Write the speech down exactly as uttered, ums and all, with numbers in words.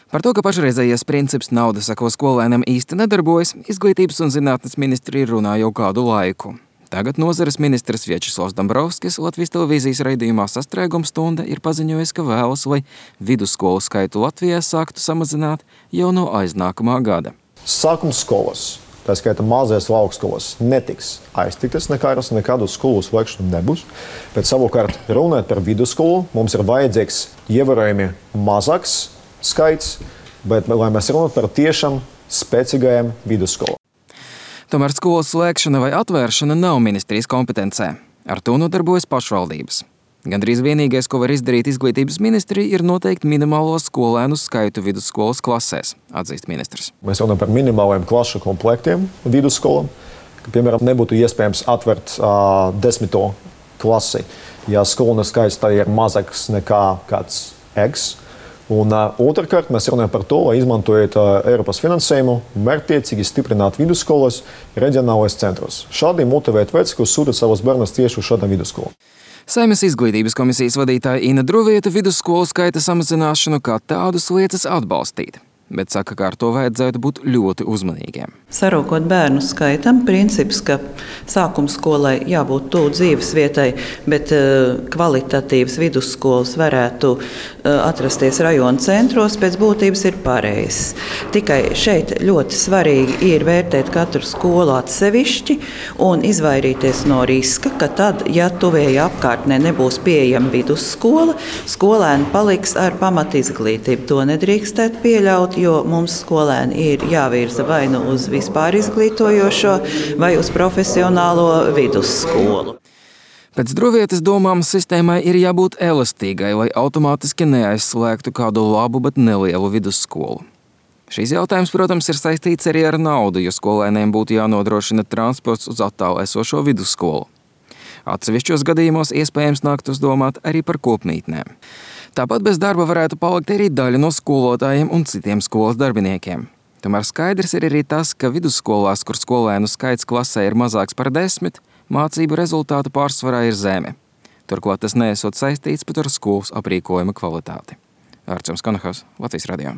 Par to, ka pašreizējais princips nauda sako skolēnam īsti nedarbojas, Izglītības un zinātnes ministrija runā jau kādu laiku. Tagad nozares ministrs Viačeslavs Dombrovskis Latvijas televīzijas raidījumā Sastrēguma stunda ir paziņojis, ka vēlas, lai vidusskolu skaitu Latvijā sāktu samazināt jau no aiznākamā gada. Sākuma skolas, tā skaitā mazajās laukskolas, netiks aiztiktas nekāras, nekādu skolu slēgšanu nebūs, bet savukārt runājot par vidusskolu, mums ir vajadzīgs ievērojami mazāks skaits, bet lai mēs runātu par tiešām spēcīgajām vidusskolām. Tomēr skolas slēgšana vai atvēršana nav ministrijas kompetencē. Ar to nodarbojas pašvaldības. Gandrīz vienīgais, ko var izdarīt Izglītības ministrija, ir noteikt minimālo skolēnu skaitu vidusskolas klasēs, atzīst ministrs. Mēs runājam par minimāliem klašu komplektiem vidusskolām, ka, piemēram, nebūtu iespējams atvērt uh, desmito klasi, ja skolēnu skaits tā ir mazāks nekā kāds X. Un uh, otrkārt, mēs runājam par to, lai izmantojot uh, Eiropas finansējumu, mērķtiecīgi stiprināt vidusskolas reģionālais centros. Šādi motivēt veci, ko sūta savus bērnus tieši uz šādām vidusskolām. Saeimas Izglītības komisijas vadītāja Ina Druvieta vidusskolu skaita samazināšanu kā tādus liecas atbalstīt, bet saka, ka ar to vajadzētu būt ļoti uzmanīgiem. Sarūkot bērnu skaitam, princips, ka sākuma skolai jābūt tuvu dzīves vietai, bet uh, kvalitatīvas vidusskolas varētu uh, atrasties rajona centros, pēc būtības ir pareizs. Tikai šeit ļoti svarīgi ir vērtēt katru skolu atsevišķi un izvairīties no riska, ka tad, ja tuvējā apkārtnē nebūs pieejama vidusskola, skolēni paliks ar pamatizglītību. To nedrīkstētu pieļaut, jo mums skolēni ir jāvirza vai nu uz vispār izglītojošo vai uz profesionālo vidusskolu. Pēc Druvietas domām sistēmai ir jābūt elastīgai, lai automātiski neaizslēgtu kādu labu, bet nelielu vidusskolu. Šīs jautājums, protams, ir saistīts arī ar naudu, jo skolēniem būtu jānodrošina transports uz attālu esošo vidusskolu. Atsevišķos gadījumos iespējams nāktos domāt arī par kopmītnēm. Tāpat bez darba varētu palikt arī daļa no skolotājiem un citiem skolas darbiniekiem. Tomēr skaidrs ir arī tas, ka vidusskolās, kur skolēnu skaits klasē ir mazāks par desmit, mācību rezultātu pārsvarā ir zemi. Turklāt tas neesot saistīts pat ar skolas aprīkojuma kvalitāti. Arčuns Konahaus, Latvijas radio.